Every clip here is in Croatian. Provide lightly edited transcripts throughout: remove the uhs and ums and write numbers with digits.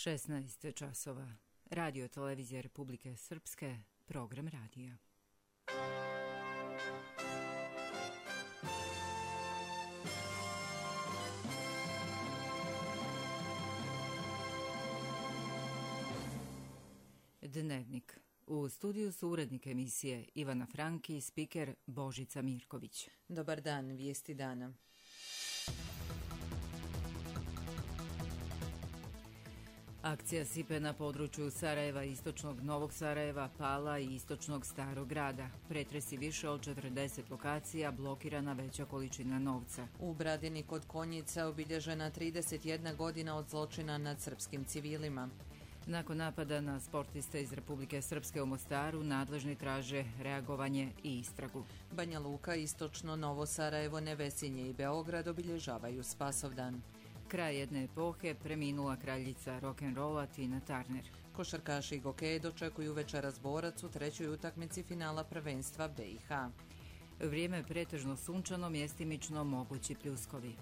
16 časova. Radio televizija Republike Srpske, program radija. Dnevnik. U studiju su urednik emisije Ivana Franki i spiker Božica Mirković. Dobar dan, vijesti dana. Akcija sipe na području Sarajeva, istočnog Novog Sarajeva, Pala i istočnog Starog grada. Pretresi više od 40 lokacija, blokirana veća količina novca. U Bradini kod Konjica obilježena 31 godina od zločina nad srpskim civilima. Nakon napada na sportiste iz Republike Srpske u Mostaru, nadležni traže reagovanje i istragu. Banja Luka, istočno Novo Sarajevo, Nevesinje i Beograd obilježavaju Spasovdan. Kraj jedne epohe, preminula kraljica rock'n'rolla Tina Turner. Košarkaši i gokeji dočekuju večeras borac u trećoj utakmici finala prvenstva BiH. Vrijeme pretežno sunčano, mjestimično mogući pljuskovi.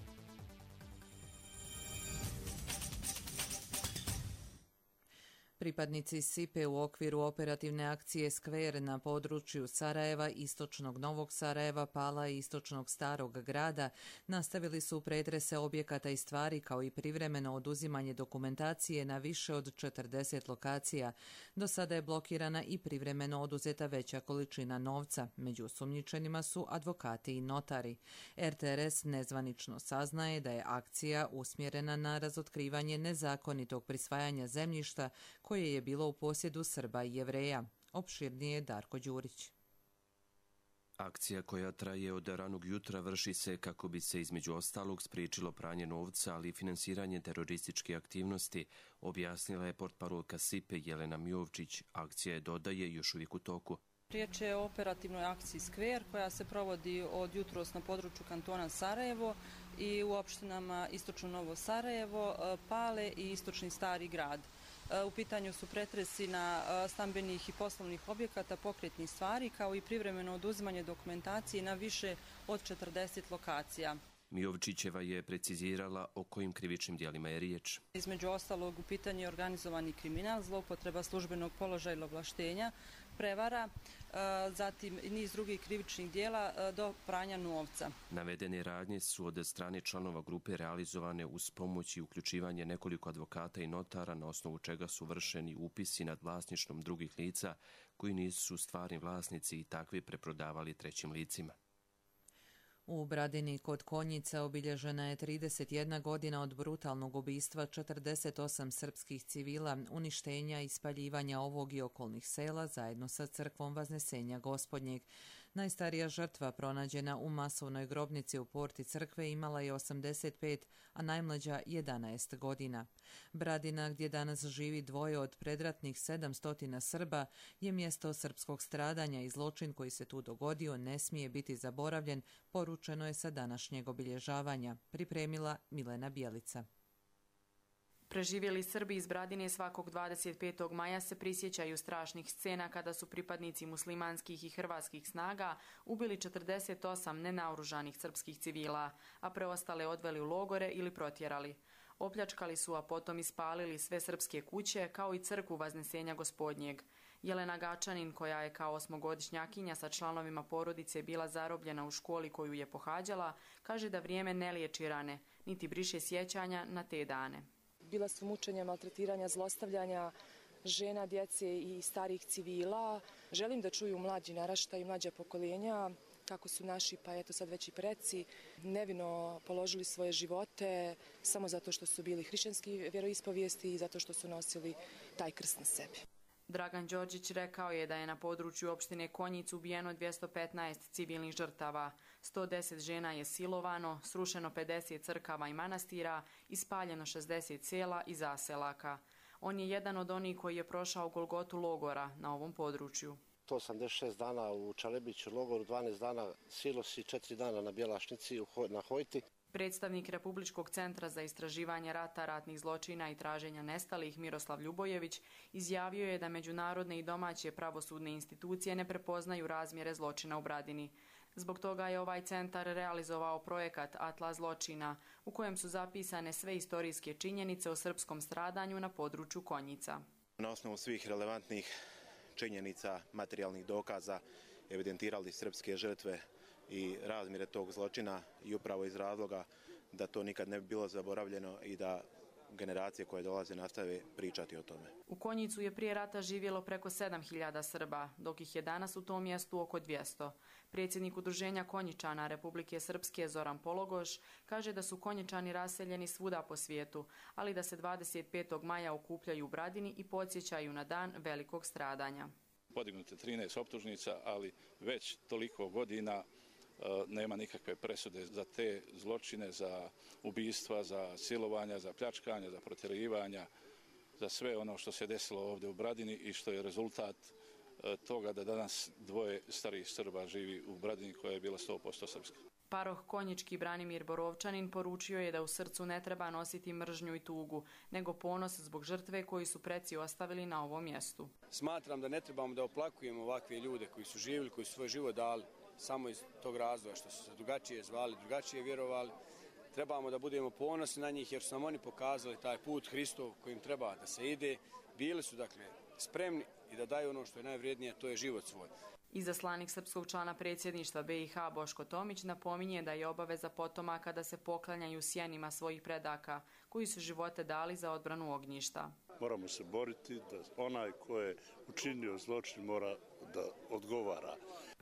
Pripadnici SIPE u okviru operativne akcije Skver na području Sarajeva, istočnog Novog Sarajeva, Pala i istočnog Starog grada nastavili su pretrese objekata i stvari kao i privremeno oduzimanje dokumentacije na više od 40 lokacija. Do sada je blokirana i privremeno oduzeta veća količina novca. Među osumnjičenima su advokati i notari. RTRS nezvanično saznaje da je akcija usmjerena na razotkrivanje nezakonitog prisvajanja zemljišta koje je bilo u posjedu Srba i Jevreja. Opširnije Darko Đurić. Akcija koja traje od ranog jutra vrši se kako bi se između ostalog spriječilo pranje novca, ali i finansiranje terorističke aktivnosti, objasnila je portparolka SIPE Jelena Mijovčić. Akcija je, dodaje, još uvijek u toku. Riječ je o operativnoj akciji Skver koja se provodi od jutros na području kantona Sarajevo i u opštinama istočno Novo Sarajevo, Pale i istočni Stari grad. U pitanju su pretresi na stambenih i poslovnih objekata, pokretnih stvari, kao i privremeno oduzimanje dokumentacije na više od 40 lokacija. Mijovčićeva je precizirala o kojim krivičnim djelima je riječ. Između ostalog u pitanju je organizovani kriminal, zloupotreba službenog položaja ili ovlaštenja, prevara, zatim niz drugih krivičnih djela do pranja novca. Navedene radnje su od strane članova grupe realizovane uz pomoć i uključivanje nekoliko advokata i notara, na osnovu čega su vršeni upisi nad vlasništvom drugih lica koji nisu stvarni vlasnici i takvi preprodavali trećim licima. U Bradini kod Konjica obilježena je 31 godina od brutalnog ubistva 48 srpskih civila, uništenja i spaljivanja ovog i okolnih sela zajedno sa crkvom Vaznesenja Gospodnjeg. Najstarija žrtva pronađena u masovnoj grobnici u porti crkve imala je 85, a najmlađa 11 godina. Bradina, gdje danas živi dvoje od predratnih 700 Srba, je mjesto srpskog stradanja i zločin koji se tu dogodio ne smije biti zaboravljen, poručeno je sa današnjeg obilježavanja, pripremila Milena Bjelica. Preživjeli Srbi iz Bradine svakog 25. maja se prisjećaju strašnih scena kada su pripadnici muslimanskih i hrvatskih snaga ubili 48 nenaoružanih srpskih civila, a preostale odveli u logore ili protjerali. Opljačkali su, a potom ispalili sve srpske kuće, kao i crkvu Vaznesenja Gospodnjeg. Jelena Gačanin, koja je kao 8-godišnjakinja sa članovima porodice bila zarobljena u školi koju je pohađala, kaže da vrijeme ne liječi rane, niti briše sjećanja na te dane. Bila su mučenja, maltretiranja, zlostavljanja žena, djece i starih civila. Želim da čuju mlađi naraštaj i mlađa pokoljenja kako su naši, pa eto sad već i preci, nevino položili svoje živote samo zato što su bili hrišćanski vjeroispovijesti i zato što su nosili taj krst na sebi. Dragan Đorđić rekao je da je na području opštine Konjic ubijeno 215 civilnih žrtava, 110 žena je silovano, srušeno 50 crkava i manastira i spaljeno 60 sela i zaselaka. On je jedan od onih koji je prošao golgotu logora na ovom području. 186 dana u Čalebiću logoru, 12 dana Silos i 4 dana na Bjelašnici na Hojti. Predstavnik Republičkog centra za istraživanje rata, ratnih zločina i traženja nestalih Miroslav Ljubojević izjavio je da međunarodne i domaće pravosudne institucije ne prepoznaju razmjere zločina u Bradini. Zbog toga je ovaj centar realizovao projekat Atlas zločina, u kojem su zapisane sve istorijske činjenice o srpskom stradanju na području Konjica. Na osnovu svih relevantnih činjenica, materijalnih dokaza, evidentirali srpske žrtve i razmjere tog zločina i upravo iz razloga da to nikad ne bi bilo zaboravljeno i da generacije koje dolaze nastave pričati o tome. U Konjicu je prije rata živjelo preko 7.000 Srba, dok ih je danas u tom mjestu oko 200. Predsjednik Udruženja Konjičana Republike Srpske Zoran Pologoš kaže da su Konjičani raseljeni svuda po svijetu, ali da se 25. maja okupljaju u Bradini i podsjećaju na dan velikog stradanja. Podignute 13 optužnica, ali već toliko godina nema nikakve presude za te zločine, za ubistva, za silovanja, za pljačkanja, za protjerivanja, za sve ono što se desilo ovdje u Bradini i što je rezultat toga da danas dvoje starijih Srba živi u Bradini koja je bila 100% srpska. Paroh konjički Branimir Borovčanin poručio je da u srcu ne treba nositi mržnju i tugu, nego ponos zbog žrtve koji su preci ostavili na ovom mjestu. Smatram da ne trebamo da oplakujemo ovakve ljude koji su živjeli, koji su svoj život dali samo iz tog razloga što su se drugačije zvali, drugačije vjerovali. Trebamo da budemo ponosni na njih jer su nam oni pokazali taj put Hristov kojim treba da se ide. Bili su dakle spremni i da daju ono što je najvrijednije, to je život svoj. Izaslanik srpskog člana predsjedništva BiH Boško Tomić napominje da je obaveza potomaka da se poklanjaju sjenima svojih predaka koji su živote dali za odbranu ognjišta. Moramo se boriti da onaj ko je učinio zločin mora da odgovara.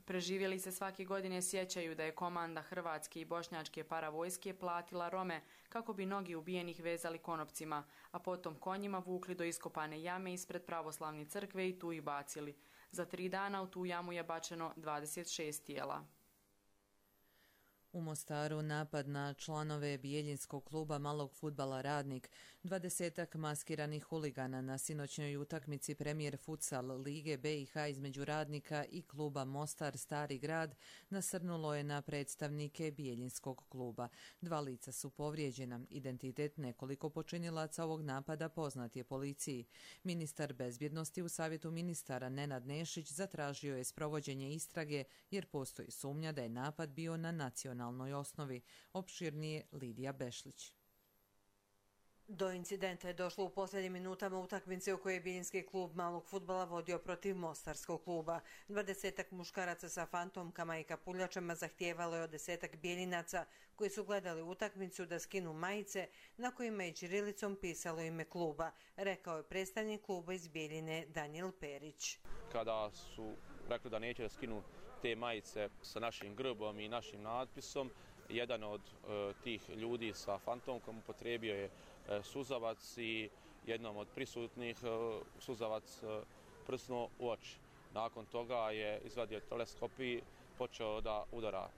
Preživjeli se svake godine sjećaju da je komanda hrvatske i bošnjačke paravojske platila Rome kako bi nogi ubijenih vezali konopcima, a potom konjima vukli do iskopane jame ispred pravoslavne crkve i tu ih bacili. Za 3 dana u tu jamu je bačeno 26 tijela. U Mostaru napad na članove bijeljinskog kluba malog fudbala Radnik, 20-ak maskiranih huligana na sinoćnoj utakmici Premijer futsal Lige BiH između Radnika i kluba Mostar Stari grad nasrnulo je na predstavnike bijeljinskog kluba. 2 lica su povrijeđena. Identitet nekoliko počinilaca ovog napada poznat je policiji. Ministar bezbjednosti u Savjetu ministara Nenad Nešić zatražio je sprovođenje istrage jer postoji sumnja da je napad bio na nacionalnoj osnovi. Opširnije Lidija Bešlić. Do incidenta je došlo u posljednjim minutama utakmice u kojoj je bijeljinski klub malog fudbala vodio protiv Mostarskog kluba. 20-ak muškaraca sa fantomkama i kapuljačama zahtijevalo je od 10-ak bijeljinaca koji su gledali utakmicu da skinu majice na kojima je ćirilicom pisalo ime kluba, rekao je predstavnik kluba iz Bijeljine Danijel Perić. Kada su rekli da neće da skinu te majice sa našim grbom i našim natpisom, jedan od tih ljudi sa fantomkom upotrijebio je suzavac i jednom od prisutnih suzavac prsnuo u oči. Nakon toga je izvadio teleskop i počeo da udara.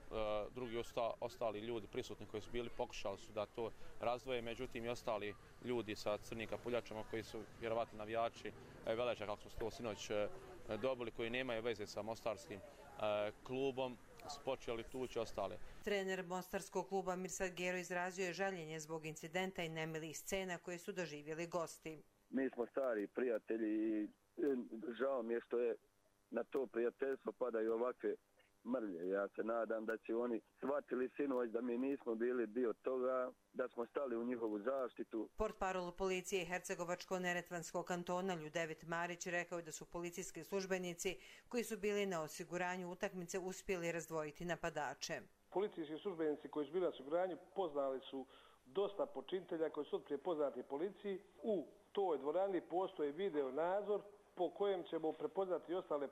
Drugi ostali ljudi prisutni koji su bili pokušali su da to razdvoje, međutim i ostali ljudi sa crnim kapuljačama koji su vjerovatno navijači Veleža, kako su to sinoć dobili, koji nemaju veze sa mostarskim klubom, počeli tući ostale. Trener mostarskog kluba Mirsad Gero izrazio je žaljenje zbog incidenta i nemilih scena koje su doživjeli gosti. Mi smo stari prijatelji i žao mi je što je na to prijateljstvo padaju ovakve mrlje. Ja se nadam da će oni shvatili sinoć da mi nismo bili dio toga, da smo stali u njihovu zaštitu. Portparol policije Hercegovačko-Neretvanskog kantona Ljudevit Marić rekao je da su policijski službenici koji su bili na osiguranju utakmice uspjeli razdvojiti napadače. Policijski službenici koji su bili na osiguranju poznali su dosta počinitelja koji su otprije poznati policiji. U toj dvorani postoji video nadzor po kojem ćemo prepoznati i ostale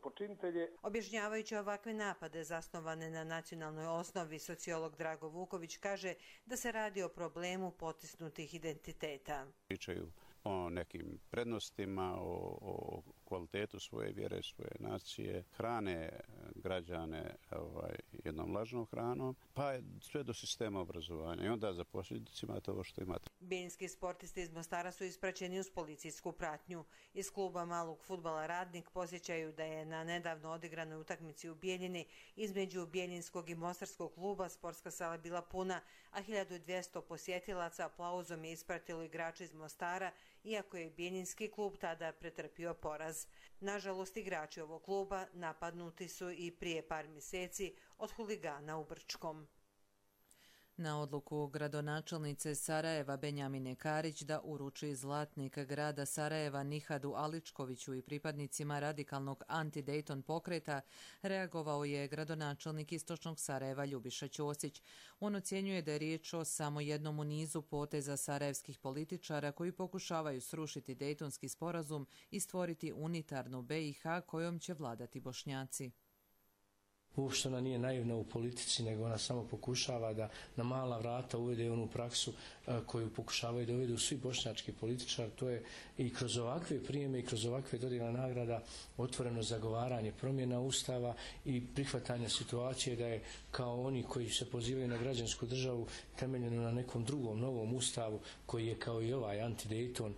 počinitelje. Objašnjavajući ovakve napade zasnovane na nacionalnoj osnovi, sociolog Drago Vuković kaže da se radi o problemu potisnutih identiteta. Pričaju o nekim prednostima, o kvalitetu svoje vjere, svoje nacije, hrane građane jednom lažnom hranom, pa je sve do sistema obrazovanja i onda za posljedicu imate ovo što imate. Bijeljinski sportisti iz Mostara su ispraćeni uz policijsku pratnju. Iz kluba malog fudbala Radnik posjećaju da je na nedavno odigranoj utakmici u Bijeljini između Bijeljinskog i Mostarskog kluba sportska sala bila puna, a 1200 posjetilaca aplauzom je ispratilo igrače iz Mostara iako je Bijeljinski klub tada pretrpio poraz. Nažalost, igrači ovog kluba napadnuti su i prije par mjeseci od huligana u Brčkom. Na odluku gradonačelnice Sarajeva Benjamine Karić da uruči zlatnik grada Sarajeva Nihadu Aličkoviću i pripadnicima radikalnog anti-Dayton pokreta reagovao je gradonačelnik Istočnog Sarajeva Ljubiša Ćosić. On ocjenjuje da je riječ o samo jednom u nizu poteza sarajevskih političara koji pokušavaju srušiti Daytonski sporazum i stvoriti unitarnu BiH kojom će vladati Bošnjaci. Uopšte ona nije naivna u politici, nego ona samo pokušava da na mala vrata uvede onu praksu koju pokušavaju da uvedu svi bošnjački političari. To je i kroz ovakve prijeme i kroz ovakve dodjele nagrada otvoreno zagovaranje promjena Ustava i prihvatanja situacije da je kao oni koji se pozivaju na građansku državu temeljeno na nekom drugom novom Ustavu koji je kao i ovaj anti-Dayton,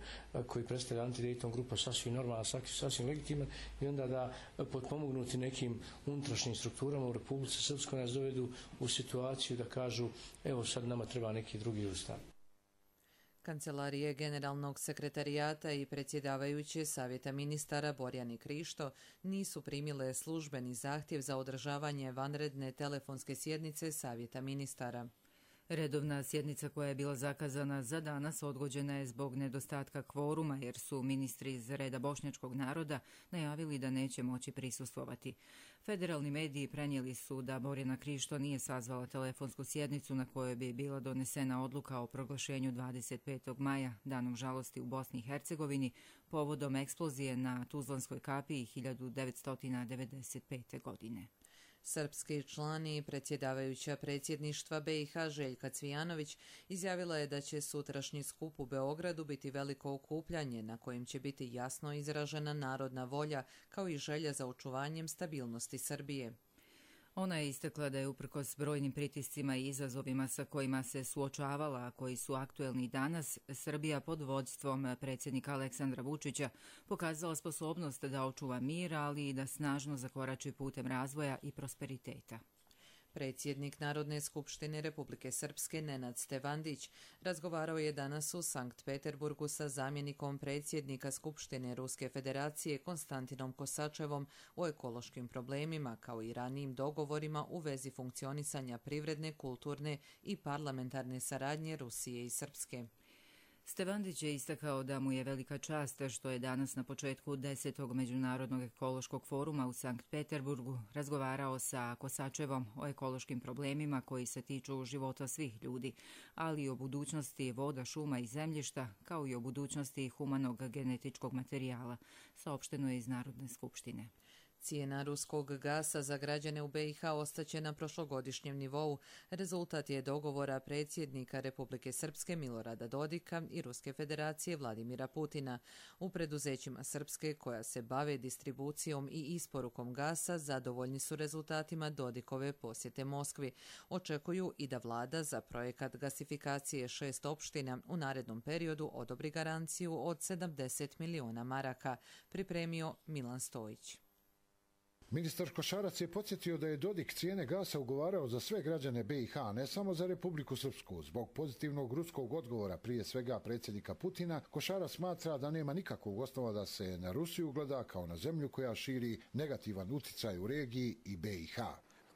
koji predstavlja anti-Dayton grupa sasvim normalna, sasvim legitiman i onda da potpomognuti nekim unutrašnjim strukturama u Republici Srpskoj nas dovedu u situaciju da kažu evo sad nama treba neki drugi ustav. Kancelarije Generalnog sekretarijata i predsjedavajuće Savjeta ministara Borjani Krišto nisu primile službeni zahtjev za održavanje vanredne telefonske sjednice Savjeta ministara. Redovna sjednica koja je bila zakazana za danas odgođena je zbog nedostatka kvoruma jer su ministri iz reda bošnjačkog naroda najavili da neće moći prisustvovati. Federalni mediji prenijeli su da Borjana Krišto nije sazvala telefonsku sjednicu na kojoj bi bila donesena odluka o proglašenju 25. maja, danom žalosti u Bosni i Hercegovini, povodom eksplozije na Tuzlanskoj kapiji 1995. godine. Srpski član i predsjedavajuća predsjedništva BiH Željka Cvijanović izjavila je da će sutrašnji skup u Beogradu biti veliko okupljanje na kojem će biti jasno izražena narodna volja kao i želja za očuvanjem stabilnosti Srbije. Ona je istakla da je uprkos brojnim pritiscima i izazovima sa kojima se suočavala, a koji su aktuelni danas, Srbija pod vodstvom predsjednika Aleksandra Vučića pokazala sposobnost da očuva mir, ali i da snažno zakorači putem razvoja i prosperiteta. Predsjednik Narodne skupštine Republike Srpske Nenad Stevandić razgovarao je danas u Sankt Peterburgu sa zamjenikom predsjednika Skupštine Ruske federacije Konstantinom Kosačevom o ekološkim problemima kao i ranijim dogovorima u vezi funkcionisanja privredne, kulturne i parlamentarne saradnje Rusije i Srpske. Stevandić je istakao da mu je velika čast što je danas na početku 10. Međunarodnog ekološkog foruma u Sankt Peterburgu razgovarao sa Kosačevom o ekološkim problemima koji se tiču života svih ljudi, ali i o budućnosti voda, šuma i zemljišta, kao i o budućnosti humanog genetičkog materijala, saopšteno je iz Narodne skupštine. Cijena ruskog gasa za građane u BiH ostaće na prošlogodišnjem nivou. Rezultat je dogovora predsjednika Republike Srpske Milorada Dodika i Ruske federacije Vladimira Putina. U preduzećima Srpske koja se bave distribucijom i isporukom gasa zadovoljni su rezultatima Dodikove posjete Moskvi. Očekuju i da vlada za projekat gasifikacije 6 opština u narednom periodu odobri garanciju od 70 miliona maraka, pripremio Milan Stojić. Ministar Košarac je podsjetio da je Dodik cijene gasa ugovarao za sve građane BiH, ne samo za Republiku Srpsku. Zbog pozitivnog ruskog odgovora, prije svega predsjednika Putina, Košarac smatra da nema nikakvog osnova da se na Rusiju gleda kao na zemlju koja širi negativan utjecaj u regiji i BiH.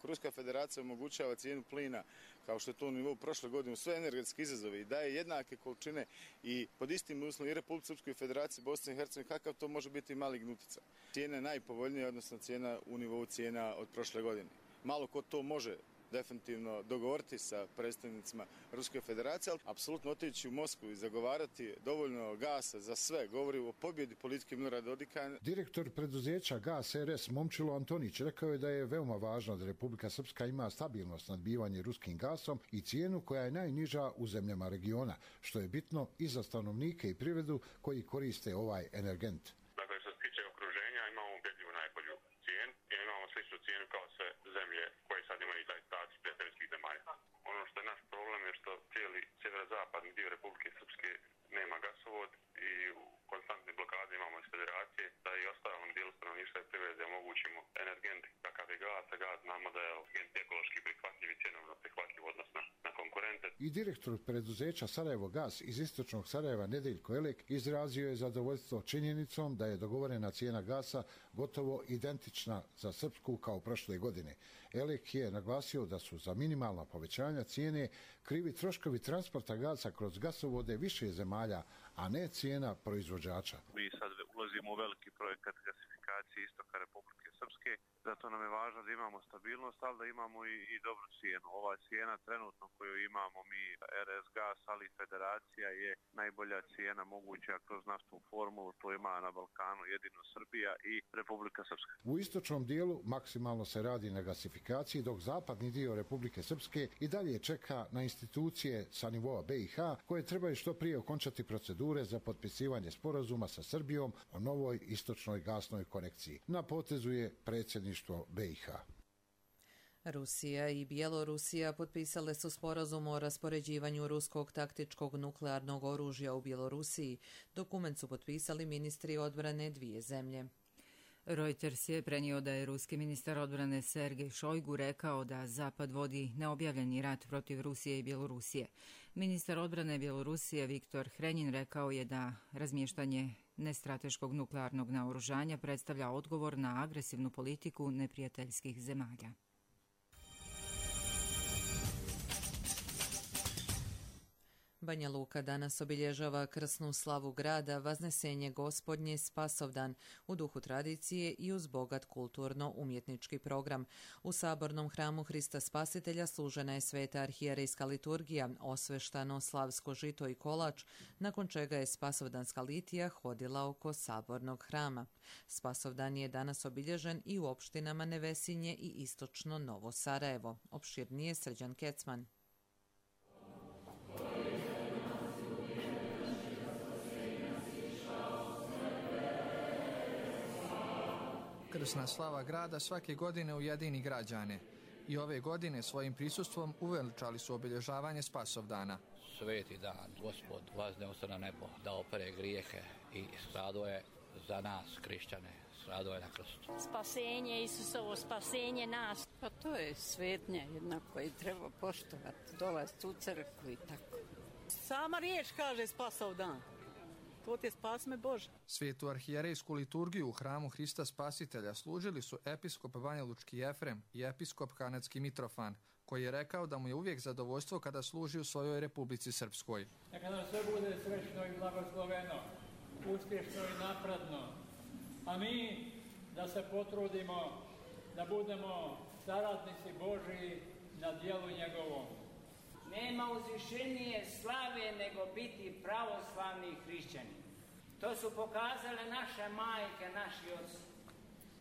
Ruska federacija omogućava cijenu plina kao što je to u nivou prošle godine u sve energetske izazove i daje jednake količine i pod istim uslovima i Republike Srpskoj federaciji Bosne i Hercegovine, kakav to može biti maligni utjecaj. Cijena je najpovoljnija, odnosno cijena u nivou cijena od prošle godine. Malo ko to može definitivno dogovoriti sa predstavnicima Ruske federacije, ali apsolutno otići u Moskvu i zagovarati dovoljno gasa za sve, govori o pobjedi politike Milorada Dodika. Direktor preduzeća Gas RS Momčilo Antonić rekao je da je veoma važno da Republika Srpska ima stabilno snabdijevanje ruskim gasom i cijenu koja je najniža u zemljama regiona, što je bitno i za stanovnike i privredu koji koriste ovaj energent. Dakle, što se tiče okruženja, imamo ubedljivu najbolju cijenu i imamo sličnu cijenu kao sve zemlje koje sad imaju taj status prijateljskih zemalja. Ono što je naš problem je što cijeli sjeverozapadni dio Republike Srpske nema gasovod i u konstantne blokade imamo iz federacije da i ostalom dijelu stanovništva i privrede omogućimo energent kakav je gas, a gas znamo da je energent ekološki prihvatljiv i cjenovno prihvatljiv odnosno na konkurente. i direktor preduzeća Sarajevo Gas iz istočnog Sarajeva Nedeljko Elek izrazio je zadovoljstvo činjenicom da je dogovorena cijena gasa gotovo identična za srpsku kao prošle godine. Elek je naglasio da su za minimalna povećanja cijene krivi troškovi transporta gasa kroz gasovode više zemalja, a ne cijena proizvođača. Mi sad ulazimo u veliki projekat gasifikacije istoka Republike Srpske, zato nam je važno da imamo stabilnost, ali da imamo i dobru cijenu. Ova cijena trenutno koju imamo mi, RS Gas, ali i Federacija, je najbolja cijena moguća kroz naftnu formulu, to ima na Balkanu jedino Srbija i Republika Srpska. U istočnom dijelu maksimalno se radi na gasifikaciji, dok zapadni dio Republike Srpske i dalje čeka na institucije sa nivoa BiH, koje trebaju što prije okončati procedure za potpisivanje sporazuma sa Srbijom o novoj istočnoj gasnoj konekciji. Na potezu je predsjedništvo BiH. Rusija i Bjelorusija potpisale su sporazum o raspoređivanju ruskog taktičkog nuklearnog oružja u Bjelorusiji. Dokument su potpisali ministri odbrane dvije zemlje. Reuters je prenio da je ruski ministar odbrane Sergej Šojgu rekao da Zapad vodi neobjavljeni rat protiv Rusije i Bjelorusije. Ministar odbrane Bjelorusije Viktor Hrenin rekao je da razmještanje nestrateškog nuklearnog naoružanja predstavlja odgovor na agresivnu politiku neprijateljskih zemalja. Banja Luka danas obilježava krsnu slavu grada, Vaznesenje Gospodnje, Spasovdan, u duhu tradicije i uz bogat kulturno-umjetnički program. U sabornom hramu Hrista Spasitelja služena je sveta arhijerejska liturgija, osveštano slavsko žito i kolač, nakon čega je Spasovdanska litija hodila oko sabornog hrama. Spasovdan je danas obilježen i u opštinama Nevesinje i istočno Novo Sarajevo. Opširnije Srđan Kecman. Krsna slava grada svake godine ujedini građane i ove godine svojim prisustvom uveličali su obilježavanje Spasovdana. Sveti dan, Gospod vazneo se na nebo, da opere grijehe i stradao je za nas, hrišćane, stradao je na krstu. Spasenje Isusovo, spasenje nas. Pa to je svetnja jedna koju treba poštovati, dolaziti u crkvu i tako. Sama riječ kaže Spasovdan. To ti je spasme Bože. Svetu arhijerejsku liturgiju u hramu Hrista Spasitelja služili su episkop Banjalučki Jefrem i episkop Kanadski Mitrofan, koji je rekao da mu je uvijek zadovoljstvo kada služi u svojoj Republici Srpskoj. Neka nam sve bude srećno i blagosloveno, uspješno i napredno, a mi da se potrudimo da budemo saradnici Božiji na djelu njegovom. Nema uzvišenije slave nego biti pravoslavni hrišćani. To su pokazale naše majke, naši oci.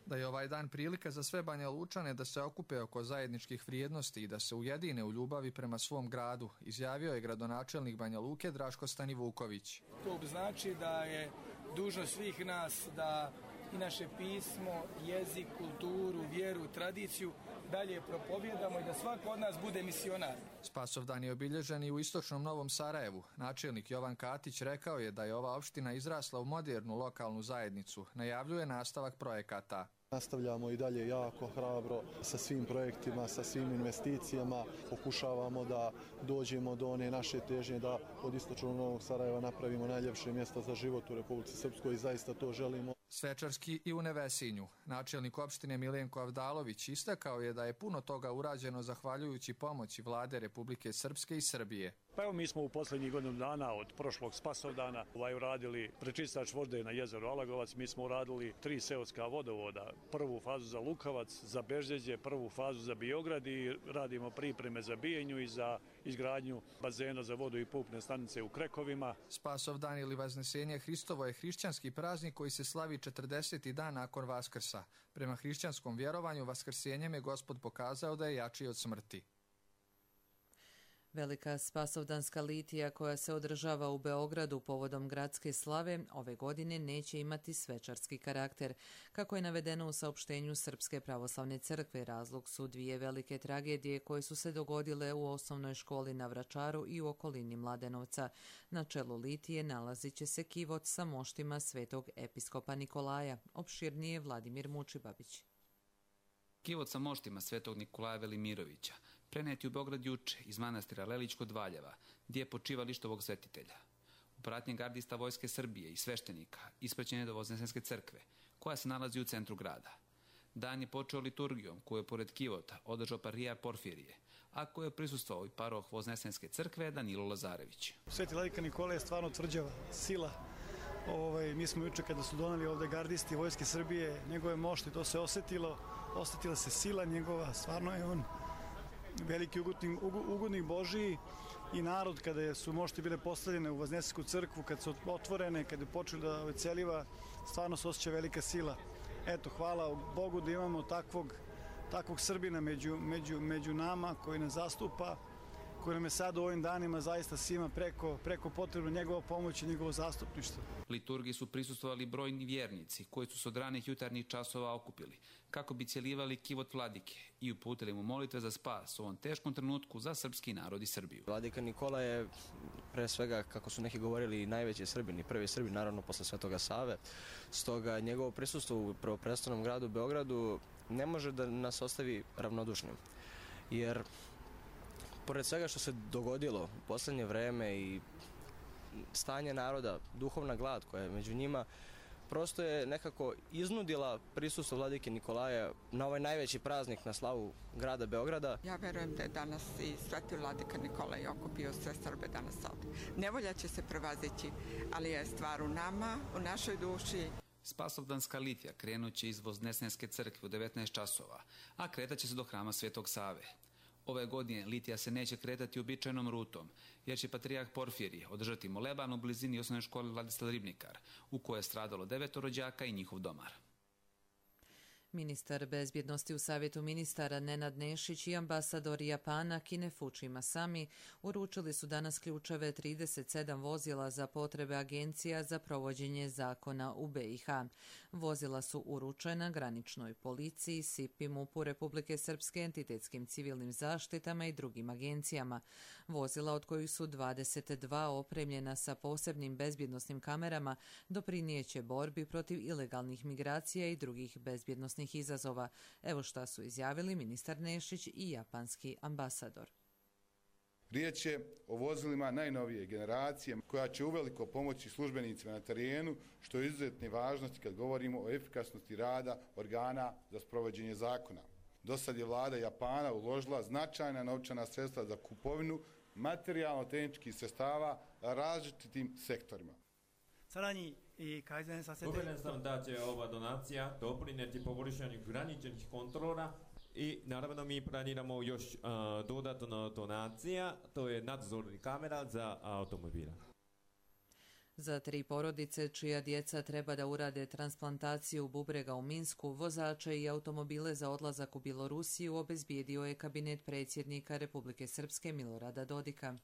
Da je ovaj dan prilika za sve Banja Lučane da se okupe oko zajedničkih vrijednosti i da se ujedine u ljubavi prema svom gradu, izjavio je gradonačelnik Banja Luke Draško Stanivuković. To znači da je dužnost svih nas da i naše pismo, jezik, kulturu, vjeru, tradiciju dalje propovjedamo i da svako od nas bude misionar. Spasovdan je obilježen i u istočnom Novom Sarajevu. Načelnik Jovan Katić rekao je da je ova opština izrasla u modernu lokalnu zajednicu. Najavljuje nastavak projekata. Nastavljamo i dalje jako hrabro sa svim projektima, sa svim investicijama. Pokušavamo da dođemo do one naše težnje da od istočnog Novog Sarajeva napravimo najljepše mjesto za život u Republici Srpskoj i zaista to želimo. Svečarski i u Nevesinju. Načelnik opštine Milenko Avdalović istakao je da je puno toga urađeno zahvaljujući pomoći vlade Republike Srpske i Srbije. Pa evo mi smo u posljednjih godinu dana od prošlog Spasovdana uradili prečistač vode na jezeru Alagovac. Mi smo uradili 3 seoska vodovoda. Prvu fazu za Lukavac, za Bežđeđe, prvu fazu za Biograd i radimo pripreme za Bijenju i za izgradnju bazena za vodu i pupne stanice u Krekovima. Spasovdan ili Vaznesenje Hristovo je hrišćanski praznik koji se slavi 40. dan nakon Vaskrsa. Prema hrišćanskom vjerovanju Vaskrsenjem je Gospod pokazao da je jači od smrti. Velika Spasovdanska litija koja se održava u Beogradu povodom gradske slave ove godine neće imati svečarski karakter. Kako je navedeno u saopštenju Srpske pravoslavne crkve, razlog su 2 velike tragedije koje su se dogodile u osnovnoj školi na Vračaru i u okolini Mladenovca. Na čelu litije nalazit će se kivot sa moštima svetog episkopa Nikolaja. Opširnije Vladimir Mučibabić. Kivot sa moštima svetog Nikolaja Velimirovića preneti u Beograd juče iz manastira Lelić kod Valjeva, gdje je počivalište ovog svetitelja. U pratnji gardista Vojske Srbije i sveštenika ispraćen je do Voznesenske crkve, koja se nalazi u centru grada. Dan je počeo liturgijom koju je pored kivota održao patrijarh Porfirije, a koju je prisustvovao i paroh Voznesenske crkve Danilo Lazarević. Sveti vladika Nikola je stvarno tvrđava sila. Mi smo juče kada su doneli ovde gardisti Vojske Srbije njegove mošti, to se osetila se sila njegova, stvarno je on veliki ugodnik Božiji i narod kada su mošti bile postavljene u Voznesensku crkvu, kad su otvorene, kada je počeli da veceliva, stvarno se osjeća velika sila. Eto, hvala Bogu da imamo takvog Srbina među nama koji nas zastupa, koji nam je sad u ovim danima zaista svima preko potrebno njegova pomoć i njegovo zastupništvo. Liturgiji su prisustvovali brojni vjernici koji su se od ranih jutarnjih časova okupili kako bi cijelivali kivot vladike i uputili mu molitve za spas u ovom teškom trenutku za srpski narod i Srbiju. Vladika Nikola je pre svega, kako su neki govorili, najveći Srbin i prvi Srbin, naravno posle Svetoga Save. Stoga njegovo prisustvo u prvoprestolnom gradu Beogradu ne može da nas ostavi ravnodušnim. Jer pored svega što se dogodilo u posljednje vreme i stanje naroda, duhovna glad koja je među njima, prosto je nekako iznudila prisustvo vladike Nikolaja na ovaj najveći praznik na slavu grada Beograda. Ja verujem da je danas i sveti vladika Nikolaj okupio sve Srbe danas ovdje. Nevolja će se prevazići, ali je stvar u nama, u našoj duši. Spasovdanska litija krenut će iz Voznesenske crkve u 19 časova, a kretat će se do hrama Svetog Save. Ove godine litija se neće kretati uobičajenom rutom, jer će patrijarh Porfirije održati moleban u blizini osnovne škole Vladislav Ribnikar, u kojoj je stradalo 9 rođaka i njihov domar. Ministar bezbjednosti u Savjetu ministara Nenad Nešić i ambasador Japana Kinefuchi Masami uručili su danas ključeve 37 vozila za potrebe agencija za provođenje zakona u BiH. Vozila su uručena graničnoj policiji, SIP-i, MUP-u Republike Srpske, entitetskim civilnim zaštitama i drugim agencijama. Vozila, od kojih su 22 opremljena sa posebnim bezbjednosnim kamerama, doprinijeće borbi protiv ilegalnih migracija i drugih bezbjednosnih izazova. Evo šta su izjavili ministar Nešić i japanski ambasador. Riječ je o vozilima najnovije generacije koja će uveliko pomoći službenicima na terenu, što je izuzetne važnosti kad govorimo o efikasnosti rada organa za sprovođenje zakona. Dosad je vlada Japana uložila značajna novčana sredstva za kupovinu materijalno-tehničkih sredstava različitim sektorima. Uvjeren sam da će ova donacija doprinijeti poboljšanju graničnih kontrola i naravno mi planiramo još dodatno donacija, to je nadzorni kamera za automobila. Za 3 porodice čija djeca treba da urade transplantaciju bubrega u Minsku, vozače i automobile za odlazak u Bjelorusiju obezbijedio je kabinet predsjednika Republike Srpske Milorada Dodika.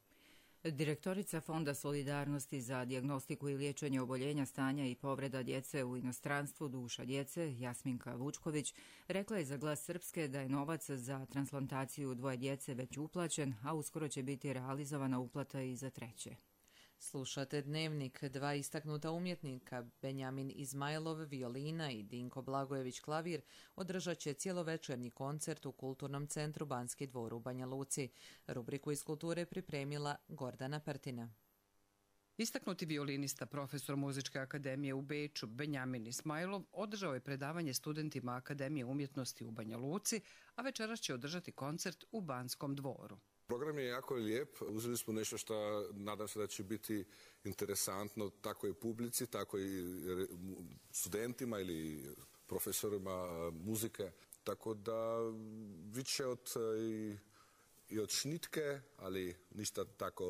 Direktorica Fonda solidarnosti za dijagnostiku i liječenje oboljenja, stanja i povreda djece u inostranstvu Duša djece, Jasminka Vučković, rekla je za Glas Srpske da je novac za transplantaciju 2 djece već uplaćen, a uskoro će biti realizovana uplata i za 3. Slušate Dnevnik. 2 istaknuta umjetnika, Benjamin Izmajlov, violina i Dinko Blagojević, klavir, održat će cijelovečernji koncert u Kulturnom centru Banski dvor u Banja Luci. Rubriku iz kulture pripremila Gordana Pertina. Istaknuti violinista, profesor Muzičke akademije u Beču, Benjamin Ismajlov, održao je predavanje studentima Akademije umjetnosti u Banja Luci, a večeras će održati koncert u Banskom dvoru. Program je jako lijep, uzeli smo nešto što nadam se da će biti interesantno tako i publici, tako i studentima ili profesorima muzike. Tako da više i od šnitke, ali ništa tako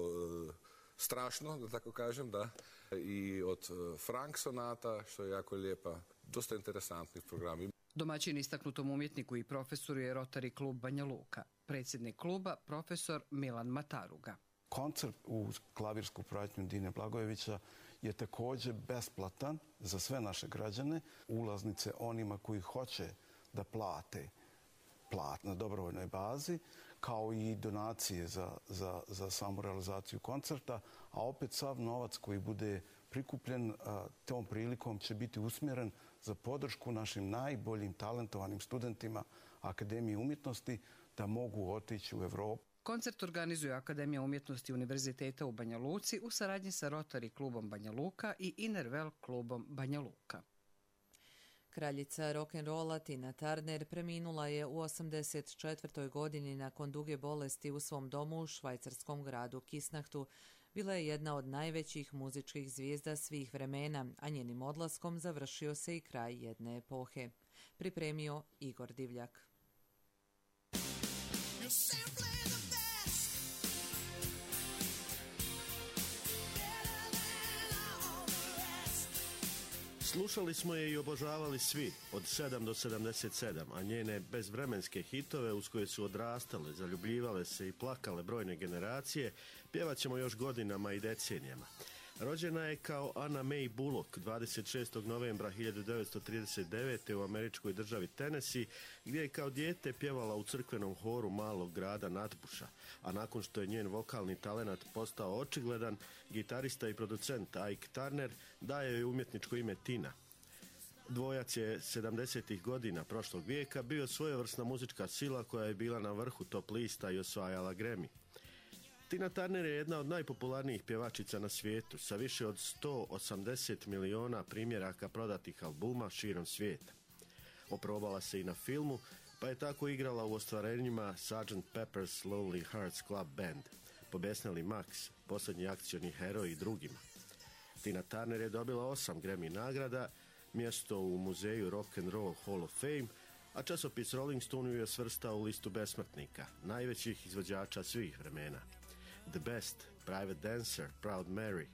strašno, da tako kažem, da. I od Frank sonata, što je jako lijepa, dosta interesantnih programa. Domaćin istaknutom umjetniku i profesoru je Rotary klub Banja Luka. Predsjednik kluba, profesor Milan Mataruga. Koncert uz klavirsku pratnju Dine Blagojevića je također besplatan za sve naše građane. Ulaznice onima koji hoće da plate na dobrovoljnoj bazi, kao i donacije za samu realizaciju koncerta, a opet sav novac koji bude prikupljen tom prilikom će biti usmjeren za podršku našim najboljim talentovanim studentima Akademije umjetnosti da mogu otići u Evropu. Koncert organizuje Akademija umjetnosti Univerziteta u Banja Luci u saradnji sa Rotary klubom Banja Luka i Innerwell klubom Banja Luka. Kraljica rock'n'rolla Tina Turner preminula je u 84. godini nakon duge bolesti u svom domu u švajcarskom gradu Kisnachtu. Bila je jedna od najvećih muzičkih zvijezda svih vremena, a njenim odlaskom završio se i kraj jedne epohe. Pripremio Igor Divljak. Slušali smo je i obožavali svi, od 7 do 77, a njene bezvremenske hitove uz koje su odrastale, zaljubljivale se i plakale brojne generacije, pjevat ćemo još godinama i decenijama. Rođena je kao Anna Mae Bullock 26. novembra 1939. u američkoj državi Tennessee, gdje je kao dijete pjevala u crkvenom horu malog grada Natbuša, a nakon što je njen vokalni talenat postao očigledan, gitarista i producent Ike Turner daje joj umjetničko ime Tina. Dvojac je 70. godina prošlog vijeka bio svojevrsna muzička sila koja je bila na vrhu top lista i osvajala Grammy. Tina Turner je jedna od najpopularnijih pjevačica na svijetu, sa više od 180 miliona primjeraka prodatih albuma širom svijeta. Oprobala se i na filmu, pa je tako igrala u ostvarenjima Sgt. Pepper's Lonely Hearts Club Band, Pobesneli Max, Posljednji akcioni heroj i drugima. Tina Turner je dobila 8 Grammy nagrada, mjesto u muzeju Rock and Roll Hall of Fame, a časopis Rolling Stone ju je svrstao u listu besmrtnika, najvećih izvođača svih vremena. The Best, Private Dancer, Proud Mary,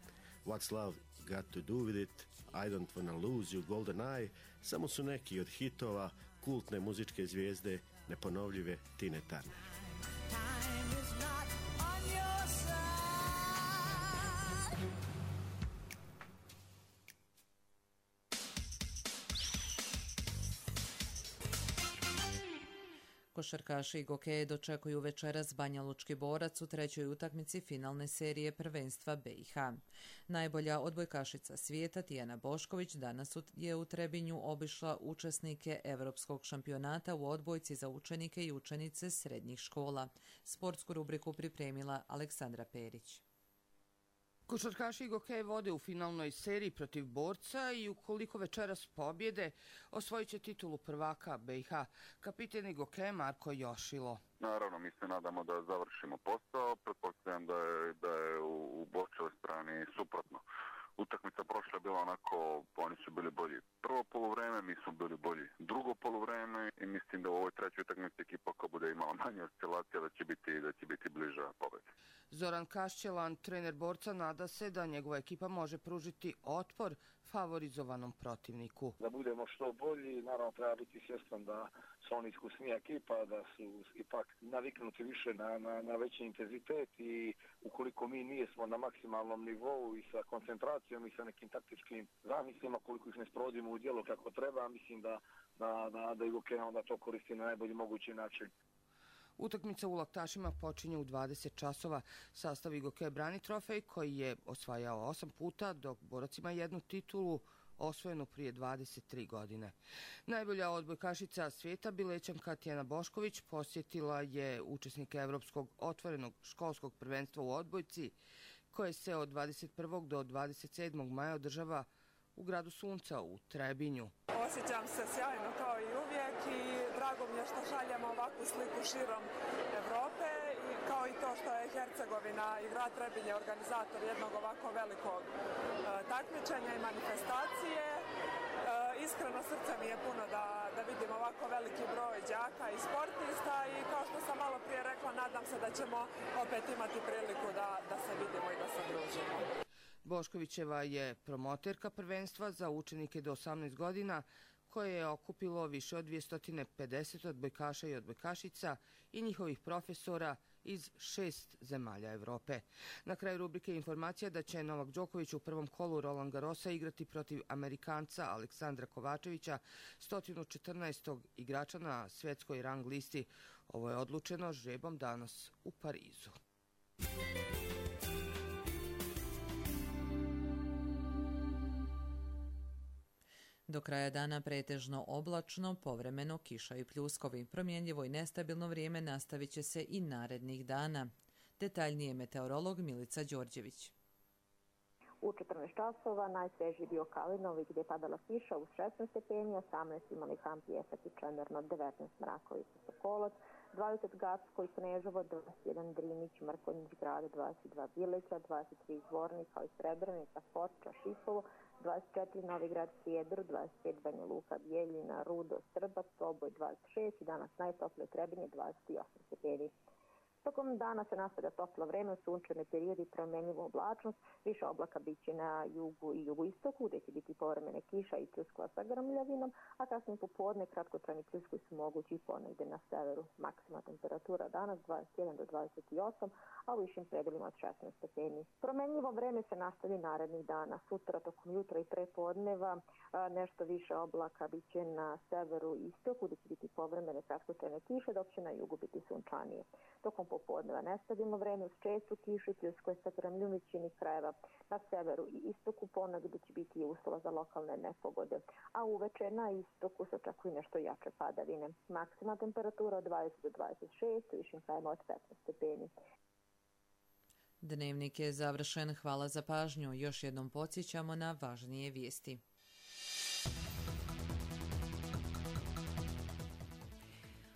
What's Love Got to Do With It, I Don't Wanna Lose You, Golden Eye, samo su neki od hitova kultne muzičke zvijezde neponovljive Tine Turner. Košarkaši i gokeje dočekuju večeras Banjalučki Borac u trećoj utakmici finalne serije prvenstva BiH. Najbolja odbojkašica svijeta Tijana Bošković danas je u Trebinju obišla učesnike Europskog šampionata u odbojci za učenike i učenice srednjih škola. Sportsku rubriku pripremila Aleksandra Perić. Košarkaši i gokeje vode u finalnoj seriji protiv Borca i ukoliko večeras pobjede, osvojit će titulu prvaka BiH. Kapiten i gokeje Marko Jošilo. Naravno, mi se nadamo da završimo posao. Pretpostavljam da je u Borčevoj strani suprotno. Utakmica prošla je bila onako, oni su bili bolji prvo poluvreme, mi smo bili bolji drugo poluvreme i mislim da u ovoj trećoj utakmici ekipa koja bude imala manje oscilacija da će biti bliža pobedi. Zoran Kašćelan, trener Borca, nada se da njegova ekipa može pružiti otpor favorizovanom protivniku. Da budemo što bolji, naravno treba biti svjestan da su oni iskusnija ekipa, da su ipak naviknuti više na veći intenzitet i ukoliko mi nismo na maksimalnom nivou i sa koncentracijom i sa nekim taktičkim zamislima, koliko ih ne sprovodimo u djelo kako treba, mislim da i gokeja onda to koristi na najbolji mogući način. Utakmica u Laktašima počinje u 20 časova. Sastav gokeja brani trofej koji je osvajao 8 puta, dok Borac ima jednu titulu osvojenu prije 23 godine. Najbolja odbojkašica svijeta, Bilećanka Tijana Bošković, posjetila je učesnike Evropskog otvorenog školskog prvenstva u odbojci, koje se od 21. do 27. maja održava u gradu Sunca u Trebinju. Osjećam se sjajno kao i uvijek i drago mi je što šaljemo ovakvu sliku širom Evrope, kao i to što je Hercegovina i grad Trebinje organizator jednog ovako velikog takmičenja i manifestacije. Iskreno srce mi je puno da vidim ovako veliki broj đaka i sportista i kao što sam malo prije rekla, nadam se da ćemo opet imati priliku da se vidimo i da se družimo. Boškovićeva je promoterka prvenstva za učenike do 18 godina koje je okupilo više od 250 odbojkaša i odbojkašica i njihovih profesora iz 6 zemalja Evrope. Na kraju rubrike informacija da će Novak Đoković u prvom kolu Roland Garrosa igrati protiv Amerikanca Aleksandra Kovačevića, 114. igrača na svjetskoj rang listi. Ovo je odlučeno žrebom danas u Parizu. Do kraja dana pretežno oblačno, povremeno kiša i pljuskovi. Promjenjivo i nestabilno vrijeme nastavit će se i narednih dana. Detaljnije meteorolog Milica Đorđević. U 14 časova najsvežiji bio Kalinovi gdje je padala kiša uz 16 stepeni, 18 imali Kamp Pjesak i Čemerno, 19 Mrakovica Sokolac, 20 Gacko i Kneževo, 21 Drinić, Mrkonjić Grad, 22 Bileća, 23 Zvornik, kao i Srebrenica, Foča, Šipovo, 24 Novi Grad Sjedro, 25 Banja Luka, Bijeljina, Rudo, Srbac, Oboj 26 i danas najtoplije Trebinje 28 stepeni. Tokom dana se nastavlja toplo vreme, sunčani periodi, promjenjiva oblačnost, više oblaka biće na jugu i jugoistoku, gdje će biti povremene kiša i pljuskova sa grmljavinom, a kasnije popodne kratkotrajni pljuskovi su mogući i ponegdje na severu. Maksimalna temperatura danas 21 do 28, a u višim predjelima od 16 stepeni. Promjenjivo vreme se nastavlja narednih dana. Sutra tokom jutra i prepodneva nešto više oblaka biće na severu i istoku, gdje će biti povremene kratkotrajne kiše, dok će na jugu biti sunčanije. Tokom popodneva nestabilno vreme uz čestu kišu i pljuskove sa grmljom većini krajeva. Na severu i istoku ponegdje će biti uslova za lokalne nepogode, a uveče na istoku se očekuju nešto jače padavine. Maksimalna temperatura od 20 do 26, u višim krajevima od 15 stepeni. Dnevnik je završen. Hvala za pažnju. Još jednom podsjećamo na važnije vijesti.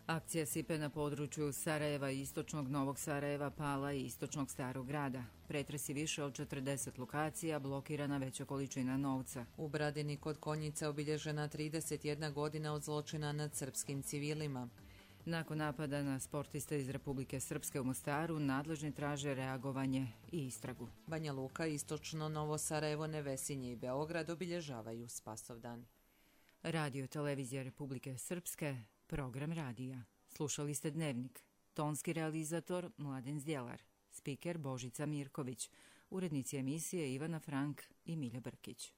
Akcija sipe na području Sarajeva i istočnog Novog Sarajeva, Pala i istočnog Starog grada. Pretresi više od 40 lokacija, blokirana veća količina novca. U Bradini kod Konjica obilježena 31 godina od zločina nad srpskim civilima. Nakon napada na sportiste iz Republike Srpske u Mostaru, nadležni traže reagovanje i istragu. Banja Luka, istočno Novo Sarajevo, Nevesinje i Beograd obilježavaju Spasovdan. Radio televizija Republike Srpske, program radija. Slušali ste Dnevnik. Tonski realizator Mladen Zdjelar. Spiker Božica Mirković. Urednici emisije Ivana Frank i Milja Brkić.